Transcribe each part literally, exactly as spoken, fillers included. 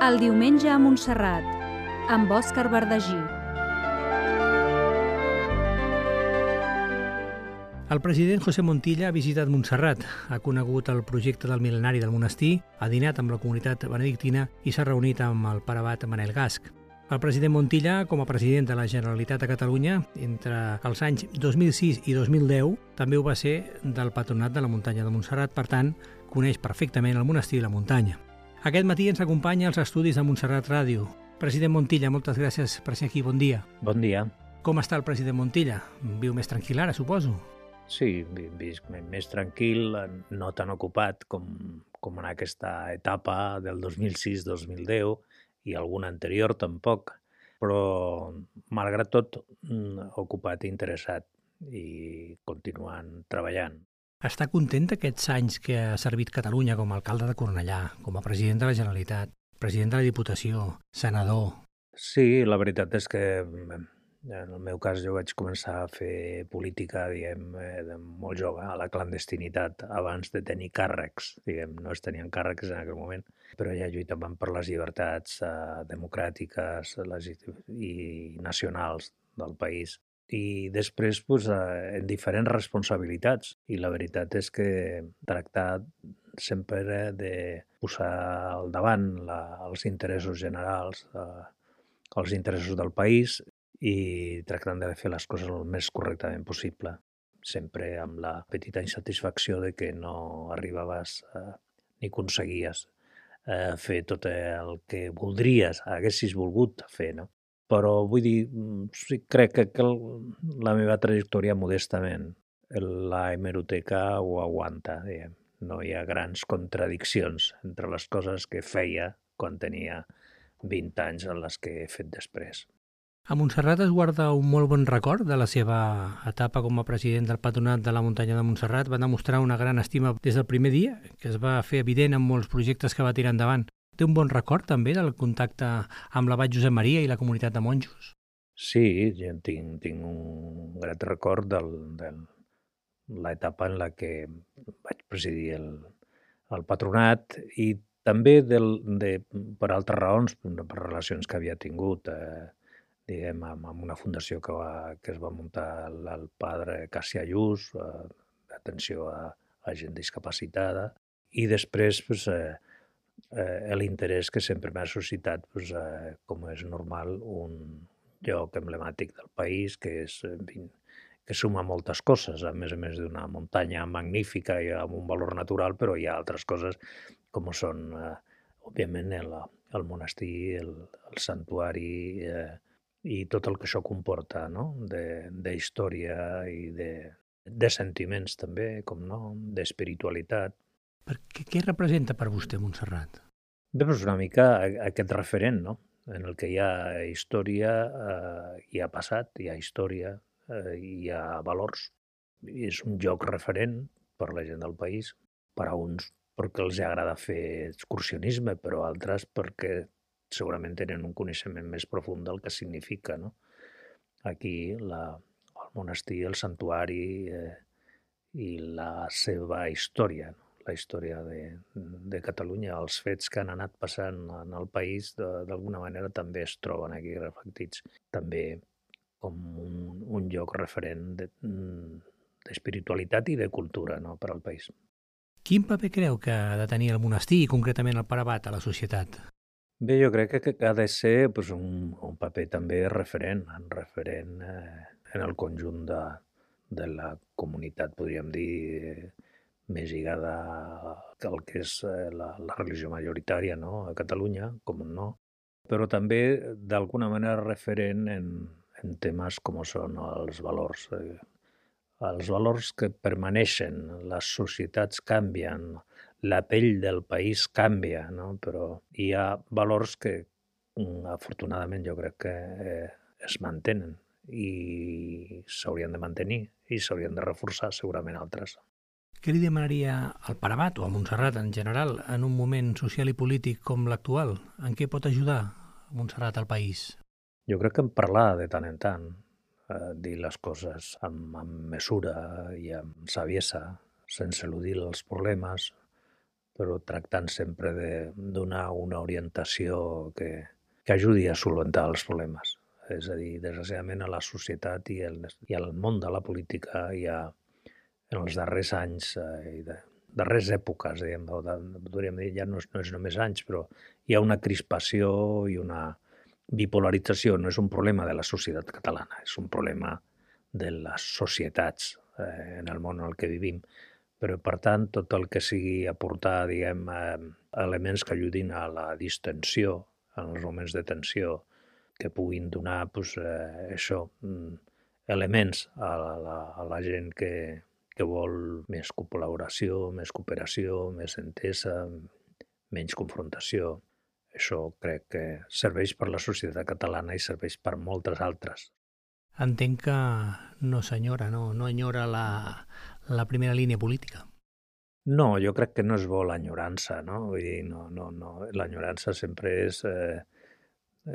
El diumenge a Montserrat, amb Òscar Verdagí. El president José Montilla ha visitat Montserrat, ha conegut el projecte del mil·lenari del monestir, ha dinat amb la comunitat benedictina i s'ha reunit amb el pare abat Manel Gasc. El president Montilla, com a president de la Generalitat de Catalunya, entre els anys dos mil sis i dos mil deu, també ho va ser del Patronat de la Muntanya de Montserrat, per tant, coneix perfectament el monestir i la muntanya. Aquest matí ens acompanya als estudis de Montserrat Ràdio. President Montilla, moltes gràcies per ser aquí, bon dia. Bon dia. Com està el president Montilla? Viu més tranquil ara, suposo? Sí, visc més tranquil, no tan ocupat com, com en aquesta etapa del dos mil sis dos mil deu i alguna anterior tampoc, però malgrat tot ocupat i interessat i continuant treballant. Està content d'aquests anys que ha servit Catalunya com a alcalde de Cornellà, com a president de la Generalitat, president de la Diputació, senador? Sí, la veritat és que en el meu cas jo vaig començar a fer política, diguem, de molt jove, a la clandestinitat, abans de tenir càrrecs, diguem, no es tenien càrrecs en aquell moment, però ja lluitàvem per les llibertats eh, democràtiques les, i nacionals del país. I després, doncs, eh, en diferents responsabilitats. I la veritat és que tractar sempre de posar al davant la, els interessos generals, eh, els interessos del país, i tractant de fer les coses el més correctament possible, sempre amb la petita insatisfacció de que no arribaves eh, ni aconseguies eh, fer tot el que voldries, haguessis volgut fer, no? Però vull dir, sí, crec que, que la meva trajectòria modestament, la hemeroteca ho aguanta, diguem. No hi ha grans contradiccions entre les coses que feia quan tenia vint anys en les que he fet després. A Montserrat es guarda un molt bon record de la seva etapa com a president del Patronat de la Muntanya de Montserrat. Va demostrar una gran estima des del primer dia, que es va fer evident en molts projectes que va tirar endavant. Té un bon record també del contacte amb l'abat Josep Maria i la comunitat de monjos? Sí, jo tinc, tinc un grat record de l'etapa en la que vaig presidir el, el Patronat i també del, de, per altres raons, per relacions que havia tingut, eh, diguem, amb, amb una fundació que, va, que es va muntar el, el padre Cassià Lluç, eh, d'atenció a, a gent discapacitada, i després pues, eh, eh, l'interès que sempre m'ha suscitat, pues, eh, com és normal, un lloc emblemàtic del país que, és, que suma moltes coses, a més a més d'una muntanya magnífica i amb un valor natural, però hi ha altres coses com són, eh, òbviament, el, el monestir, el, el santuari, eh, i tot el que això comporta, no? De història i de, de sentiments també, com no, d'espiritualitat. Què, què representa per vostè Montserrat? Bé, doncs una mica aquest referent, no? En el que hi ha història, eh, hi ha passat, hi ha història, eh, hi ha valors. I és un lloc referent per la gent del país, per a uns perquè els agrada fer excursionisme, però altres perquè segurament tenen un coneixement més profund del que significa, no? Aquí la, el monestir, el santuari eh, i la seva història, no? La història de, de Catalunya, els fets que han anat passant en el país, d'alguna manera també es troben aquí reflectits, també com un, un lloc referent d'espiritualitat de, i de cultura, no? Per al país. Quin paper creu que ha de tenir el monestir i concretament el pare abat a la societat? Bé, jo crec que ha de ser pues, un, un paper també referent, referent eh, en el conjunt de, de la comunitat, podríem dir, més lligada al que és la, la religió majoritària, no? A Catalunya, com no, però també d'alguna manera referent en, en temes com són els valors. Eh, els valors que permaneixen, les societats canvien, la pell del país canvia, no? Però hi ha valors que, afortunadament, jo crec que eh, es mantenen i s'haurien de mantenir i s'haurien de reforçar segurament altres. Què li demanaria al pare abat o a Montserrat en general en un moment social i polític com l'actual? En què pot ajudar Montserrat al país? Jo crec que en parlar de tant en tant, eh, dir les coses amb, amb mesura i amb saviesa, sense eludir els problemes, però tractant sempre de donar una orientació que, que ajudi a solventar els problemes. És a dir, desgraciadament a la societat i, el, i al món de la política hi ha, en els darrers anys eh, i de, darrers èpoques, diguem, o de, podríem dir, ja no és, no és només anys, però hi ha una crispació i una bipolarització. No és un problema de la societat catalana, és un problema de les societats eh, en el món en el que vivim. Però, per tant, tot el que sigui aportar, diguem, eh, elements que ajudin a la distensió, en els moments de tensió, que puguin donar, doncs, eh, això, elements a la, a la gent que, que vol més col·laboració, més cooperació, més entesa, menys confrontació. Això crec que serveix per la societat catalana i serveix per moltes altres. Entenc que no senyora, no, no enyora la, la primera línia política. No, jo crec que no és bo l'enyorança, no? Vull dir, no, no, no. L'enyorança sempre és, eh,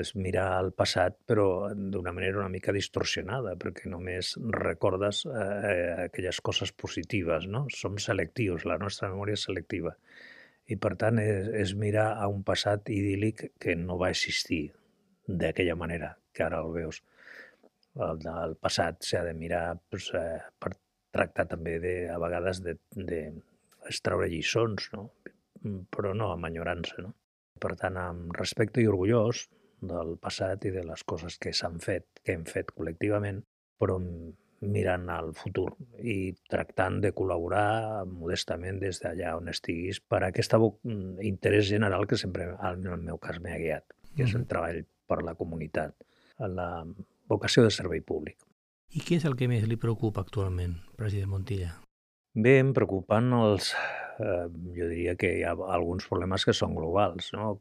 és mirar al passat, però d'una manera una mica distorsionada, perquè només recordes eh, aquelles coses positives, no? Som selectius, la nostra memòria és selectiva. I, per tant, és, és mirar a un passat idíl·lic que no va existir d'aquella manera, que ara el veus. El, el passat s'ha de mirar doncs, eh, per tractar també, de, a vegades, de, de extraure lliçons, no? Però no amb enyorança, no? Per tant, amb respecte i orgullós del passat i de les coses que s'han fet, que hem fet col·lectivament, però mirant al futur i tractant de col·laborar modestament des d'allà on estiguis per a aquest interès general que sempre, en el meu cas, m'ha guiat, que és el treball per la comunitat, la vocació de servei públic. I què és el que més li preocupa actualment, president Montilla? Bé, em preocupen els... Eh, jo diria que hi ha alguns problemes que són globals, no?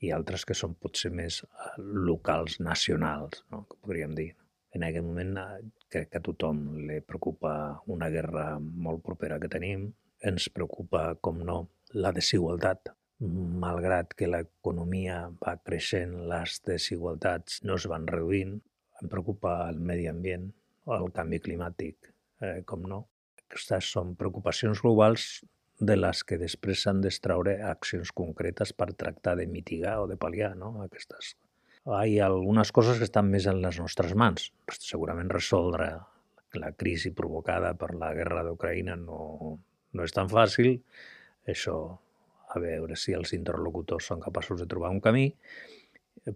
I altres que són potser més locals, nacionals, no? Que podríem dir. En aquest moment crec que a tothom li preocupa una guerra molt propera que tenim. Ens preocupa, com no, la desigualtat. Malgrat que l'economia va creixent, les desigualtats no es van reduint. Em preocupa el medi ambient, el canvi climàtic, eh, com no. Aquestes són preocupacions globals de les que després s'han d'extraure accions concretes per tractar de mitigar o de pal·liar, no? Aquestes. Hi ha algunes coses que estan més en les nostres mans. Segurament resoldre la crisi provocada per la guerra d'Ucraïna no, no és tan fàcil. Això, a veure si els interlocutors són capaços de trobar un camí.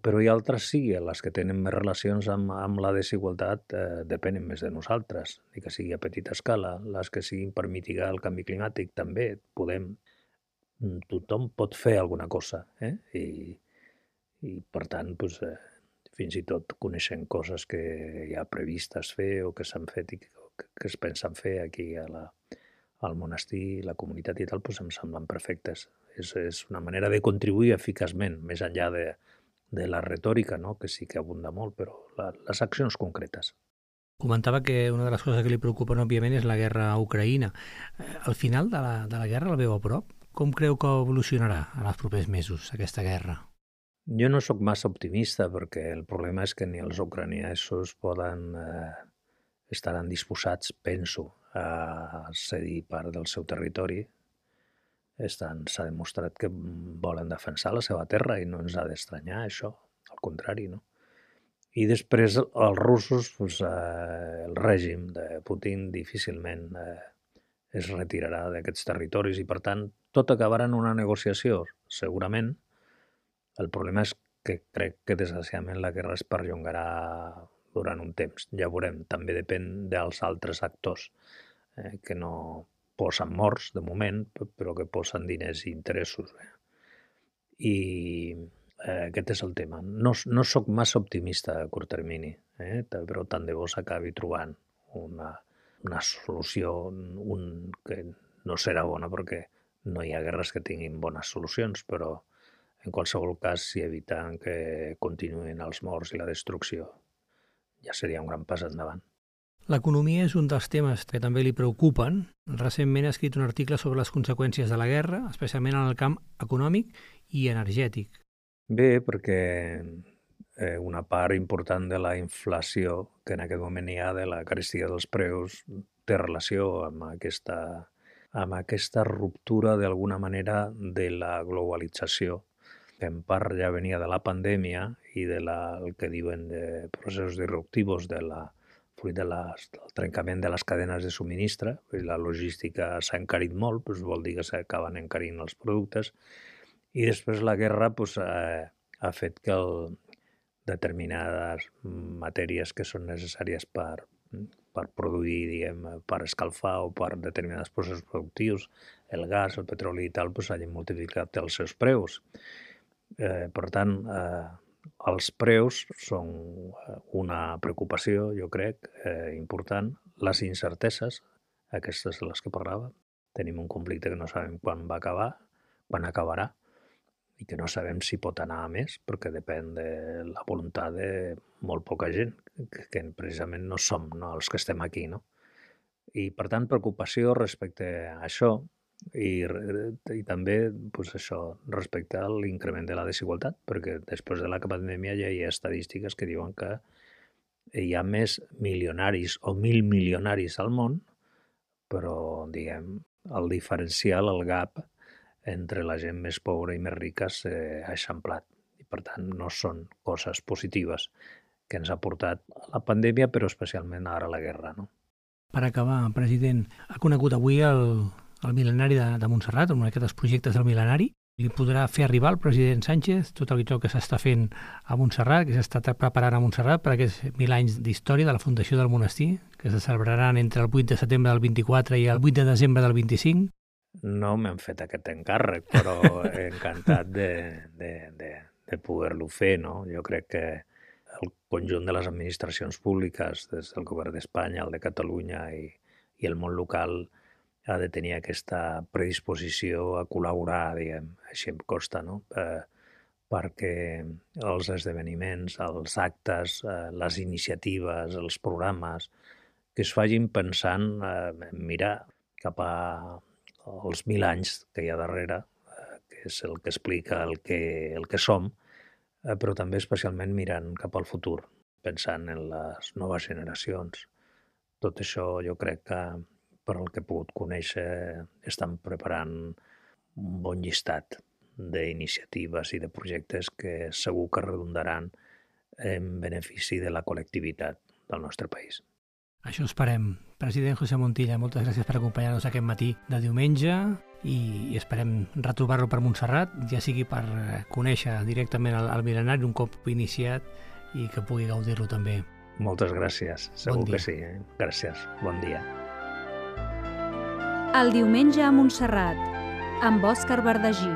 Però hi ha altres sí, les que tenen més relacions amb, amb la desigualtat eh, depenen més de nosaltres, ni que sigui a petita escala. Les que siguin per mitigar el canvi climàtic també podem. Tothom pot fer alguna cosa, eh? I, i per tant, doncs, eh, fins i tot coneixem coses que hi ha previstes fer o que s'han fet i que, que es pensen fer aquí a la, al monestir, la comunitat i tal, doncs em semblen perfectes. És, és una manera de contribuir eficaçment, més enllà de de la retòrica, no? Que sí que abunda molt, però la, les accions concretes. Comentava que una de les coses que li preocupen, òbviament, és la guerra a Ucraïna. Al final de la, de la guerra la veu a prop? Com creu que evolucionarà en els propers mesos aquesta guerra? Jo no sóc massa optimista perquè el problema és que ni els ucraïnesos poden eh, estaran disposats, penso, a cedir part del seu territori. S'ha demostrat que volen defensar la seva terra i no ens ha d'estranyar això, al contrari, no? I després els russos, doncs, eh, el règim de Putin difícilment eh, es retirarà d'aquests territoris i, per tant, tot acabarà en una negociació, segurament. El problema és que crec que, desgraciadament, la guerra es perllongarà durant un temps. Ja veurem, també depèn dels altres actors eh, que no posen morts, de moment, però que posen diners i interessos. Eh? I eh, aquest és el tema. No, no sóc massa optimista a curt termini, eh? Però tant de bo s'acabi trobant una, una solució un, que no serà bona perquè no hi ha guerres que tinguin bones solucions, però en qualsevol cas, si eviten que continuïn els morts i la destrucció, ja seria un gran pas endavant. L'economia és un dels temes que també li preocupen. Recentment ha escrit un article sobre les conseqüències de la guerra, especialment en el camp econòmic i energètic. Bé, perquè eh, una part important de la inflació que en aquest moment hi ha, de la carestia dels preus, té relació amb aquesta amb aquesta ruptura d'alguna manera de la globalització, que en part ja venia de la pandèmia i de la, el que diuen de processos disruptius de la, fruit de les, del trencament de les cadenes de subministre. La logística s'ha encarit molt, doncs vol dir que s'acaben encarint els productes, i després la guerra doncs, eh, ha fet que el, determinades matèries que són necessàries per, per produir, diguem, per escalfar o per determinats processos productius, el gas, el petroli i tal, doncs hagin multiplicat els seus preus. Eh, per tant, eh, els preus són una preocupació, jo crec, eh, important. Les incerteses, aquestes de les que parlava. Tenim un conflicte que no sabem quan va acabar, quan acabarà, i que no sabem si pot anar a més, perquè depèn de la voluntat de molt poca gent, que, que precisament no som, no, els que estem aquí, no? I, per tant, preocupació respecte a això, i, i també pues, això respecte a l'increment de la desigualtat, perquè després de la pandèmia ja hi ha estadístiques que diuen que hi ha més milionaris o mil milionaris al món, però, diguem, el diferencial, el gap, entre la gent més pobra i més rica s'ha eixamplat. I, per tant, no són coses positives que ens ha portat la pandèmia, però especialment ara la guerra, no? Per acabar, president, ha conegut avui el, el mil·lenari de, de Montserrat, un d'aquests projectes del mil·lenari. Li podrà fer arribar al president Sánchez tot el que s'està fent a Montserrat, que s'està preparant a Montserrat per aquests mil anys d'història de la fundació del monestir, que se celebraran entre el vuit de setembre del vint-i-quatre i el vuit de desembre del vint-i-cinc. No m'han fet aquest encàrrec, però encantat de, de, de, de poder-lo fer, no? Jo crec que el conjunt de les administracions públiques, des del govern d'Espanya, el de Catalunya i, i el món local, ha de tenir aquesta predisposició a col·laborar, diguem, així em costa, no? Eh, perquè els esdeveniments, els actes, eh, les iniciatives, els programes, que es facin pensant, eh, mirar cap a els mil anys que hi ha darrere, eh, que és el que explica el que, el que som, eh, però també especialment mirant cap al futur, pensant en les noves generacions. Tot això jo crec que, per el que he pogut conèixer, estan preparant un bon llistat d'iniciatives i de projectes que segur que redundaran en benefici de la col·lectivitat del nostre país. Això esperem. President José Montilla, moltes gràcies per acompanyar-nos aquest matí de diumenge i, i esperem retrobar-lo per Montserrat, ja sigui per conèixer directament el, el mil·lenari un cop iniciat i que pugui gaudir-lo també. Moltes gràcies, segur bon que sí. Eh? Gràcies, bon dia. El diumenge a Montserrat, amb Òscar Bardagí.